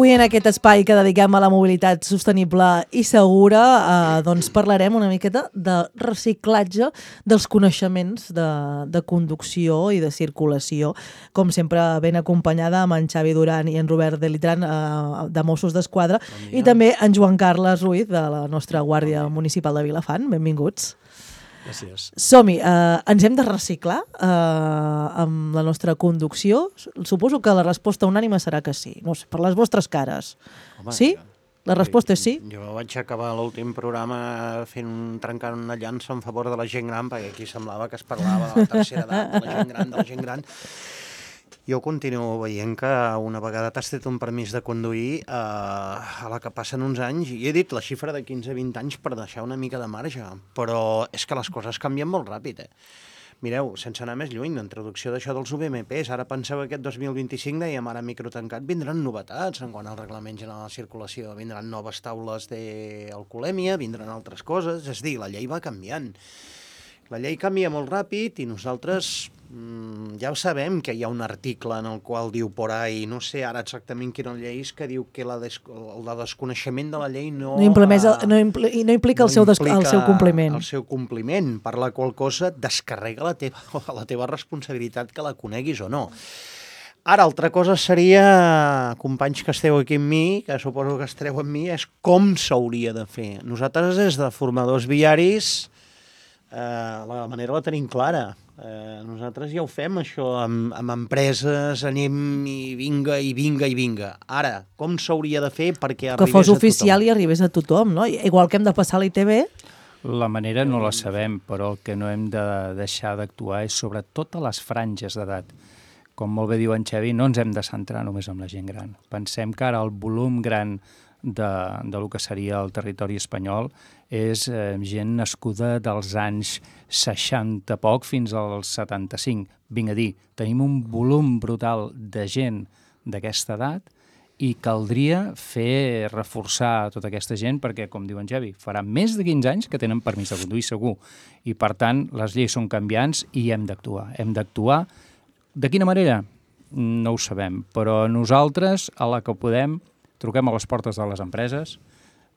Avui en aquest espai que dediquem a la mobilitat sostenible i segura doncs parlarem una miqueta de reciclatge dels coneixements de conducció i de circulació, com sempre ben acompanyada amb en Xavi Duran i en Robert Delitran de Mossos d'Esquadra i també en Joan Carles Ruiz de la nostra Guàrdia Municipal de Vilafant. Benvinguts. Gràcies. Som-hi, ens hem de reciclar amb la nostra conducció? Suposo que la resposta unànime serà que sí. No sé, per les vostres cares. Home, sí? La resposta és sí? Jo vaig acabar l'últim programa trencant una llança en favor de la gent gran, perquè aquí semblava que es parlava de la tercera edat, de la gent gran. Jo continuo veient que una vegada t'has tret un permís de conduir, a la que passen uns anys, i he dit la xifra de 15-20 anys per deixar una mica de marge, però és que les coses canvien molt ràpid, Mireu, sense anar més lluny, la introducció d'això dels UVMPs, ara penseu que aquest 2025, dèiem ara microtancat, vindran novetats en quant al reglament general de circulació, vindran noves taules d'alcoholèmia, vindran altres coses, és a dir, la llei va canviant. La llei canvia molt ràpid i nosaltres ja ho sabem que hi ha un article en el qual diu por ahí, no sé ara exactament quina llei és, que diu que el desconeixement de la llei no implica el seu compliment. El seu compliment, per la qual cosa descarrega la teva responsabilitat que la coneguis o no. Ara, altra cosa seria, companys que esteu aquí amb mi, que suposo que estareu amb mi, és com s'hauria de fer. Nosaltres, des de formadors viaris, la manera la tenim clara. Nosaltres ja ho fem, això, amb empreses, anem i vinga. Ara, com s'hauria de fer perquè arribés a tothom? Que fos oficial i arribés a tothom, no? Igual que hem de passar a l'ITV. La manera no la sabem, però el que no hem de deixar d'actuar és sobre totes les franges d'edat. Com molt bé diu en Xavi, no ens hem de centrar només en la gent gran. Pensem que ara el volum gran del que seria el territori espanyol és gent nascuda dels anys 60 poc fins als 75. Vinc a dir, tenim un volum brutal de gent d'aquesta edat i caldria reforçar tota aquesta gent perquè, com diu en Xavi, farà més de 15 anys que tenen permís de conduir segur i, per tant, les lleis són canviants i hem d'actuar. Hem d'actuar. De quina manera? No ho sabem, però nosaltres, a la que podem, truquem a les portes de les empreses,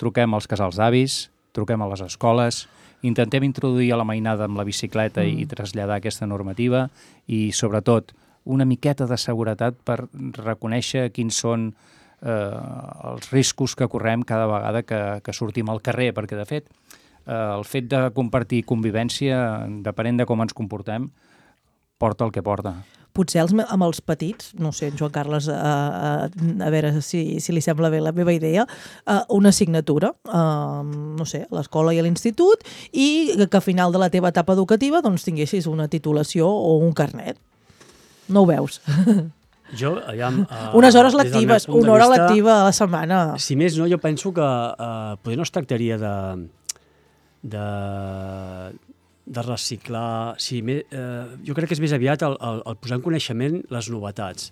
truquem als casals d'avis, truquem a les escoles, intentem introduir a la mainada amb la bicicleta i traslladar aquesta normativa i, sobretot, una miqueta de seguretat per reconèixer quins són els riscos que correm cada vegada que sortim al carrer, perquè, de fet, el fet de compartir convivència, depenent de com ens comportem, porta el que porta. Potser amb els petits, no sé, Joan Carles, a veure si li sembla bé la meva idea, una assignatura, no sé, a l'escola i a l'institut, i que a final de la teva etapa educativa doncs tinguessis una titulació o un carnet. No ho veus? Jo, unes hores lectives, una hora lectiva a la setmana. Si més no, jo penso que potser no es tractaria de reciclar. Jo crec que és més aviat el posar en coneixement les novetats.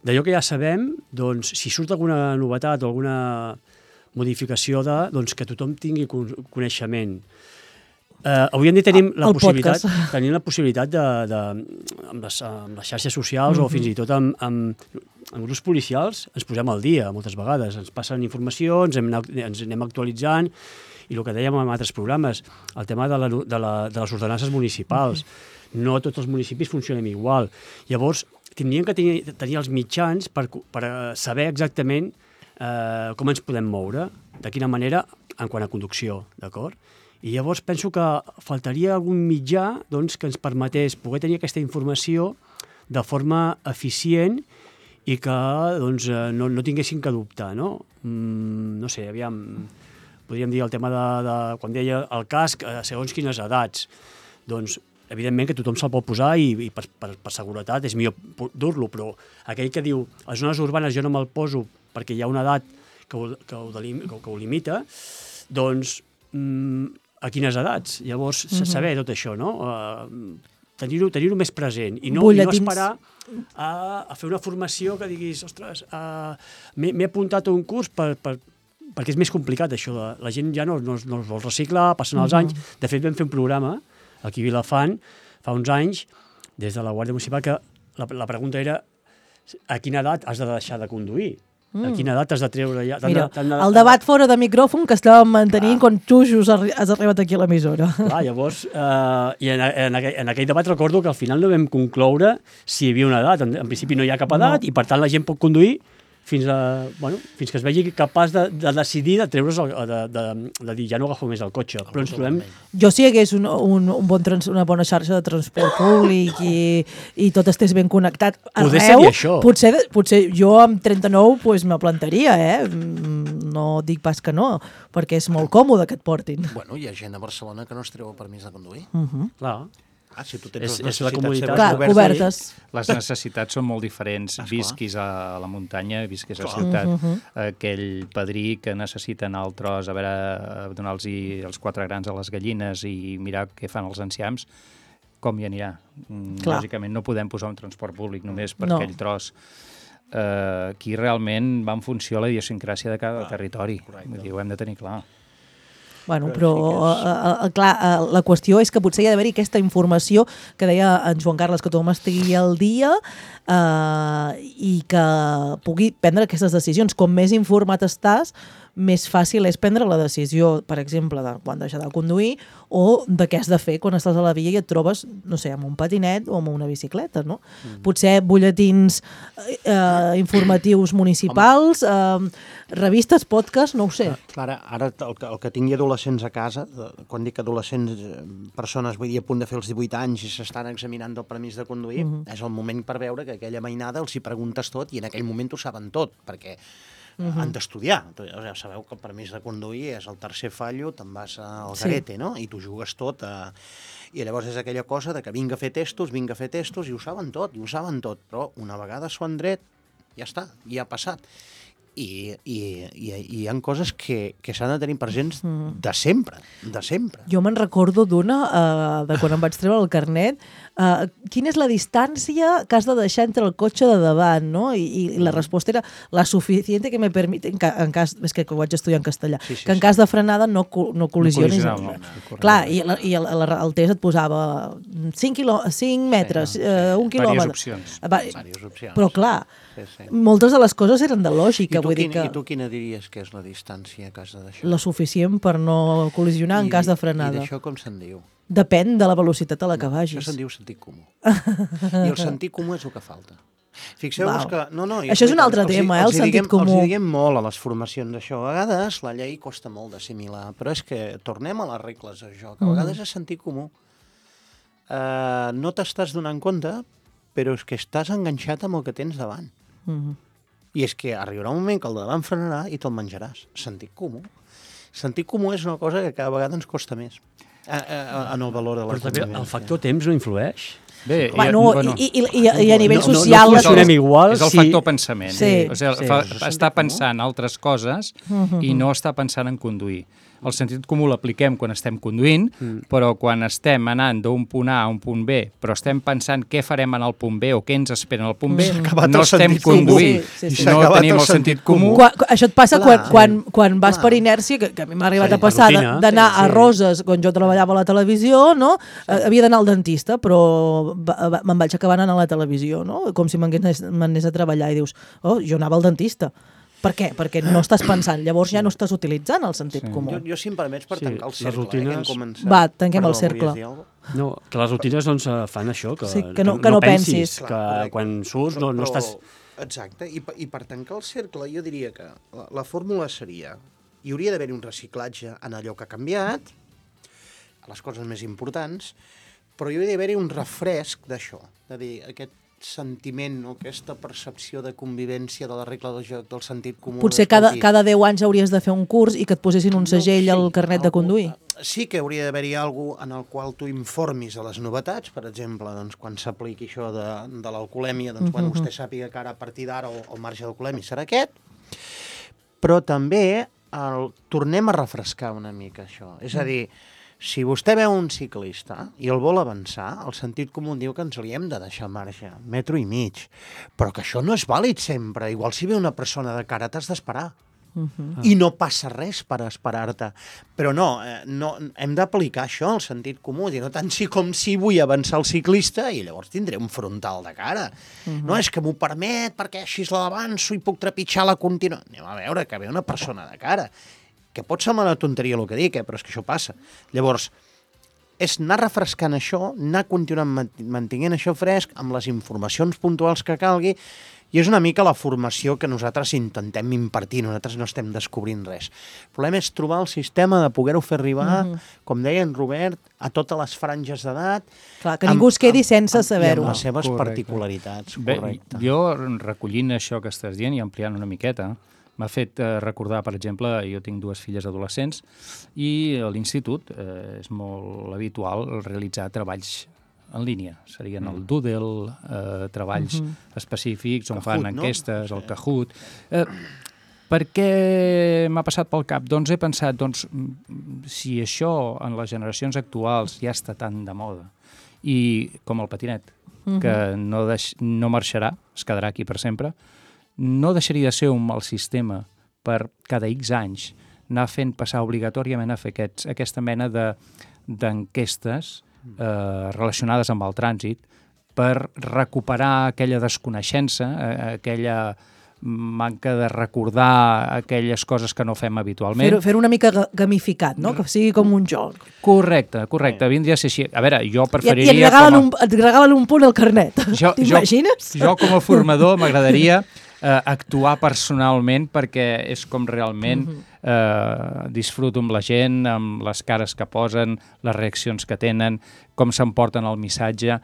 D'allò que ja sabem, doncs, si surt alguna novetat o alguna modificació doncs que tothom tingui coneixement. Avui en dia tenim la possibilitat amb les xarxes socials o fins i tot amb grups policials ens posem al dia moltes vegades. Ens passen informació, ens anem actualitzant. I el que dèiem en altres programes, el tema de les ordenances municipals. No tots els municipis funcionen igual. Llavors, tindríem que tenir els mitjans per saber exactament com ens podem moure, de quina manera, en quant a conducció, d'acord? I llavors penso que faltaria algun mitjà que ens permetés poder tenir aquesta informació de forma eficient i que no tinguessin que dubtar, no? No sé, aviam... Podríem dir el tema de quan deia el casc, segons quines edats. Doncs, evidentment que tothom se'l pot posar i per seguretat és millor dur-lo, però aquell que diu a les zones urbanes jo no me'l poso perquè hi ha una edat que ho limita, doncs a quines edats? Llavors, saber tot això, no? Tenir-ho més present i no esperar a fer una formació que diguis, ostres, m'he apuntat a un curs perquè és més complicat això. La gent ja no es vol reciclar, passen els anys. De fet, vam fer un programa aquí a Vilafant fa uns anys, des de la Guàrdia Municipal, que la pregunta era a quina edat has de deixar de conduir? A quina edat has de treure ja? Mira, el debat fora de micròfon que estàvem mantenint quan tu just has arribat aquí a l'emissora. Clar, llavors, i en aquell debat recordo que al final no vam concloure si hi havia una edat. En principi no hi ha cap edat i per tant la gent pot conduir fins que es vegi capaç de decidir de treure's, de dir ja no agafo més el cotxe. Però ens trobem... Jo si hi hagués una bona xarxa de transport públic i tot estés ben connectat arreu, Poder seria això. Potser jo amb 39 pues, me plantaria, no dic pas que no, perquè és molt còmode que et portin. Bueno, hi ha gent a Barcelona que no es treu el permís de conduir. Clar. Si tu tens És la comunitat. Clar, obertes. Les necessitats són molt diferents. Visquis a la muntanya, visquis a la ciutat. Aquell padrí que necessita anar al tros a veure, donar-los els 4 grans a les gallines i mirar què fan els enciams, com hi anirà? Lògicament no podem posar un transport públic només per aquell tros. Aquí realment va en funció a la idiosincràsia de cada territori. Vull dir, ho hem de tenir clar. Bueno, però clar, la qüestió és que potser hi ha d'haver-hi aquesta informació que deia en Joan Carles, que tothom estigui al dia i que pugui prendre aquestes decisions. Com més informat estàs, més fàcil és prendre la decisió, per exemple, de quan deixar de conduir o de què has de fer quan estàs a la via i et trobes, no sé, amb un patinet o amb una bicicleta, no? Potser butlletins informatius municipals, revistes, podcast, no ho sé. Clara, ara el que tingui adolescents a casa, quan dic adolescents, persones, vull dir, a punt de fer els 18 anys i s'estan examinant el permís de conduir, és el moment per veure que aquella mainada els hi preguntes tot i en aquell moment ho saben tot, perquè han d'estudiar. Ja sabeu que el permís de conduir és el tercer fallo, te'n vas al garete, no? I t'ho jugues tot. I llavors és aquella cosa de que vinga a fer testos, i ho saben tot, però una vegada s'ho han dret, ja està, ja ha passat. I hi ha coses que s'han de tenir presents de sempre. Jo me'n recordo d'una, de quan em vaig treure el carnet, quina és la distància que has de deixar entre el cotxe de davant, no? I la resposta era la suficient que me permite, en cas, és que ho vaig estudiar en castellà, que en cas de frenada no col·lisionis. Clar, i el test et posava 5 metres, 1 quilòmetre. Vàries opcions. Però clar, moltes de les coses eren de lògica. I tu quina diries que és la distància que has de deixar? La suficient per no col·lisionar en cas de frenada. I d'això com se'n diu? Depèn de la velocitat a la que vagis. Això se'n diu sentit comú. I el sentit comú és el que falta. Fixeu-vos que... Això és un altre tema, el sentit comú. Els diguem molt a les formacions d'això. A vegades la llei costa molt d'assimilar, però és que tornem a les regles d'això, que a vegades és sentit comú. No t'estàs donant compte, però és que estàs enganxat amb el que tens davant. I és que arribarà un moment que el de davant frenarà i te'l menjaràs. Sentit comú. Sentit comú és una cosa que cada vegada ens costa més en el valor de la convivència. El factor temps no influeix? Bé, i a nivell social... No funcionem igual. És el factor pensament. Sí. O sigui, està pensant altres coses i no està pensant en conduir. El sentit comú l'apliquem quan estem conduint, però quan estem anant d'un punt A a un punt B, però estem pensant què farem en el punt B o què ens espera en el punt B, no estem conduint. No tenim el sentit comú. Això et passa quan vas per inèrcia, que a mi m'ha arribat a passar d'anar a Roses, quan jo treballava a la televisió, no? Havia d'anar al dentista, però me'n vaig acabar anant a la televisió, no? Com si m'anés a treballar i dius, jo anava al dentista. Per què? Perquè no estàs pensant, llavors ja no estàs utilitzant el sentit comú. Jo, si em permets, per tancar el cercle, rutines... que hem començat... Va, tanquem el cercle. No, que les rutines doncs, fan això, que no pensis. Que quan surts no estàs... Exacte, i per tancar el cercle jo diria que la fórmula seria, hi hauria d'haver un reciclatge en allò que ha canviat, a les coses més importants, però hi hauria d'haver un refresc d'això, de dir, aquest sentiment o aquesta percepció de convivència de la regla del joc, del sentit comú... Potser cada 10 anys hauries de fer un curs i que et posessin un segell al carnet de conduir. Sí que hauria d'haver-hi alguna cosa en el qual tu informis a les novetats, per exemple, doncs, quan s'apliqui això de l'alcoholèmia, doncs, quan vostè sàpiga que ara a partir d'ara el marge d'alcoholèmia serà aquest, però també tornem a refrescar una mica això. És a dir, si vostè veu un ciclista i el vol avançar, el sentit comú diu que ens li hem de deixar marge, 1,5 metres, però que això no és vàlid sempre. Igual si ve una persona de cara t'has d'esperar. I no passa res per esperar-te. Però no, hem d'aplicar això, el sentit comú, dir, no tant com si vull avançar el ciclista i llavors tindré un frontal de cara. No és que m'ho permet perquè així l'avanço i puc trepitjar la contínua. Anem a veure que ve una persona de cara. Que pot semblar una tonteria el que dic, però és que això passa. Llavors, és anar refrescant això, anar continuant mantenint això fresc, amb les informacions puntuals que calgui, i és una mica la formació que nosaltres intentem impartir, nosaltres no estem descobrint res. El problema és trobar el sistema de poder-ho fer arribar, com deia en Robert, a totes les franges d'edat. Clar, que ningú es quedi sense saber-ho. I amb les seves particularitats, correcte. Bé, jo, recollint això que estàs dient i ampliant una miqueta, m'ha fet recordar, per exemple, jo tinc 2 filles adolescents i a l'institut és molt habitual realitzar treballs en línia. Serien el Doodle, treballs específics on fan enquestes, el Kahoot. Per què m'ha passat pel cap? Doncs he pensat, si això en les generacions actuals ja està tan de moda, i com el patinet, que no marxarà, es quedarà aquí per sempre, no deixaria de ser un mal sistema per cada X anys anar fent passar obligatòriament a fer aquesta mena d'enquestes relacionades amb el trànsit per recuperar aquella desconeixença, aquella manca de recordar aquelles coses que no fem habitualment. Fer-ho una mica gamificat, no? Que sigui com un joc. Correcte, vindria a ser així. A veure, jo preferiria... I et regalen un punt al carnet. T'imagines? Jo com a formador m'agradaria actuar personalment perquè és com realment disfruto amb la gent, amb les cares que posen, les reaccions que tenen, com s'emporten el missatge.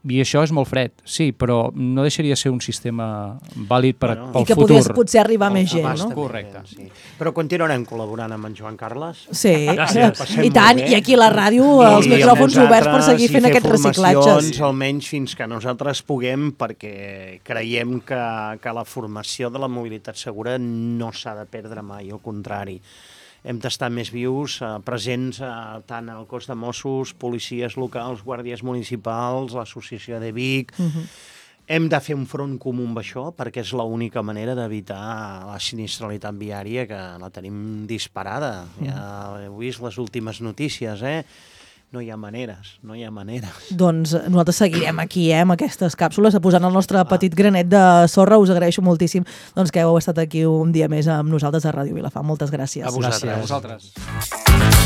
I això és molt fred, sí, però no deixaria de ser un sistema vàlid pel futur. I que pogués potser arribar més gent, no? Correcte. Sí. Però continuarem col·laborant amb en Joan Carles. Sí, i tant, i aquí a la ràdio els micròfons oberts per seguir fent aquests reciclatges. Almenys fins que nosaltres puguem, perquè creiem que la formació de la mobilitat segura no s'ha de perdre mai, al contrari. Hem d'estar més vius, presents tant al cos de Mossos, policies locals, guàrdies municipals, l'associació de Vic. Hem de fer un front comú amb això, perquè és l'única manera d'evitar la sinistralitat viària, que la tenim disparada. Ja heu vist les últimes notícies, No hi ha maneres. Doncs nosaltres seguirem aquí, amb aquestes càpsules, posant el nostre petit granet de sorra. Us agraeixo moltíssim que heu estat aquí un dia més amb nosaltres a Ràdio Vilafant. Moltes gràcies. A vosaltres. Gràcies a vosaltres.